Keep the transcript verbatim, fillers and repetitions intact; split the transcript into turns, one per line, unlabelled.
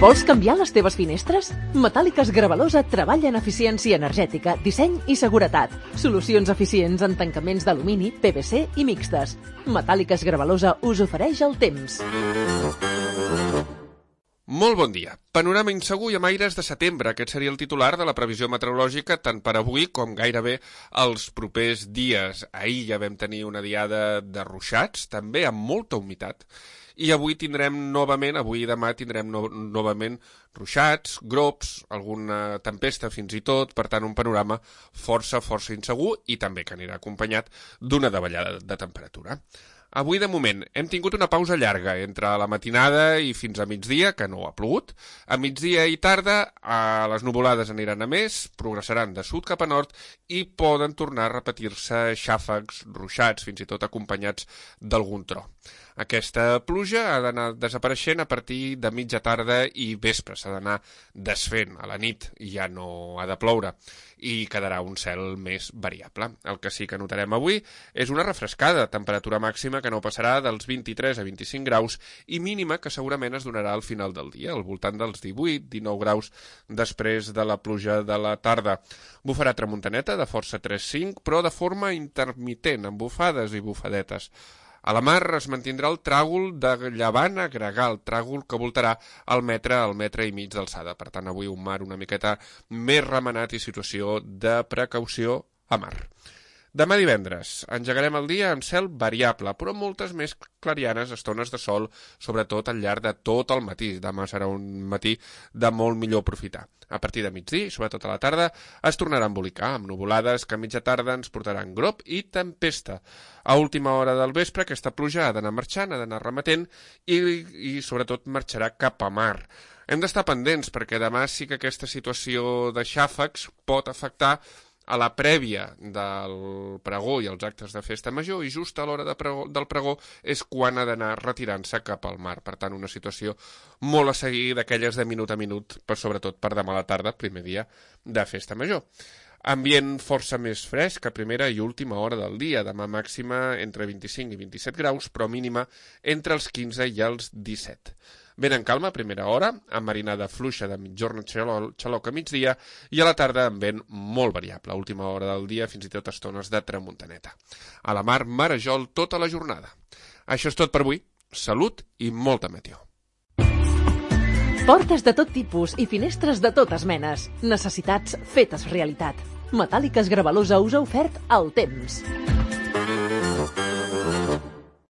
Vols canviar les teves finestres? Metàl·liques Gravalosa treballa en eficiència energètica, disseny i seguretat. Solucions eficients en tancaments d'alumini, P V C i mixtes. Metàl·liques Gravalosa us ofereix el temps.
Molt bon dia. Panorama insegur i amb aires de setembre. Aquest seria el titular de la previsió meteorològica tant per avui com gairebé els propers dies. Ahir ja vam tenir una diada de ruixats, també amb molta humitat. I avui tindrem novament, avui i demà tindrem no, novament ruixats, grops, alguna tempesta fins i tot, per tant un panorama força, força insegur i també que anirà acompanyat d'una davallada de temperatura. Avui, de moment, hem tingut una pausa llarga entre la matinada i fins a migdia, que no ha plogut. A migdia i tarda, eh, les nuvolades aniran a més, progressaran de sud cap a nord i poden tornar a repetir-se xàfecs, ruixats, fins i tot acompanyats d'algun tro. Aquesta pluja ha d'anar desapareixent a partir de mitja tarda i vespre, s'ha d'anar desfent. A la nit ja no ha de ploure i quedarà un cel més variable. El que sí que notarem avui és una refrescada, temperatura màxima que no passarà dels vint-i-tres a vint-i-cinc graus i mínima que segurament es donarà al final del dia, al voltant dels divuit a dinou graus després de la pluja de la tarda. Bufarà tramuntaneta de força tres cinc, però de forma intermitent, amb bufades i bufadetes. A la mar es mantindrà el tràgol de llevant a gregal, tràgol que voltarà al metre, al metre i mig d'alçada. Per tant, avui un mar una miqueta més remenat i situació de precaució a mar. Demà divendres engegarem el dia amb cel variable, però moltes més clarianes, estones de sol, sobretot al llarg de tot el matí. Demà serà un matí de molt millor aprofitar. A partir de migdia, sobretot a la tarda, es tornarà a embolicar, amb nuvolades que a mitja tarda ens portaran grop i tempesta. A última hora del vespre, aquesta pluja ha d'anar marxant, ha d'anar remetent i, i sobretot marxarà cap a mar. Hem d'estar pendents perquè demà sí que aquesta situació de xàfecs pot afectar a la prèvia del pregó i els actes de festa major i just a l'hora de pregó, del pregó és quan ha d'anar retirant-se cap al mar. Per tant, una situació molt a seguir d'aquelles de minut a minut, però sobretot per demà a la tarda, primer dia de festa major. Ambient força més fresc a primera i última hora del dia, demà màxima entre vint-i-cinc i vint-i-set graus, però mínima entre els quinze i els disset. Vent en calma a primera hora, amb marinada fluixa de mitjorn xaloc a migdia i a la tarda amb vent molt variable, a última hora del dia fins i tot estones de tramuntaneta. A la mar, marejol tota la jornada. Això és tot per avui. Salut i molta meteo.
Portes de tot tipus i finestres de totes menes. Necessitats fetes realitat. Metàl·liques Gravalosa us ha ofert el temps.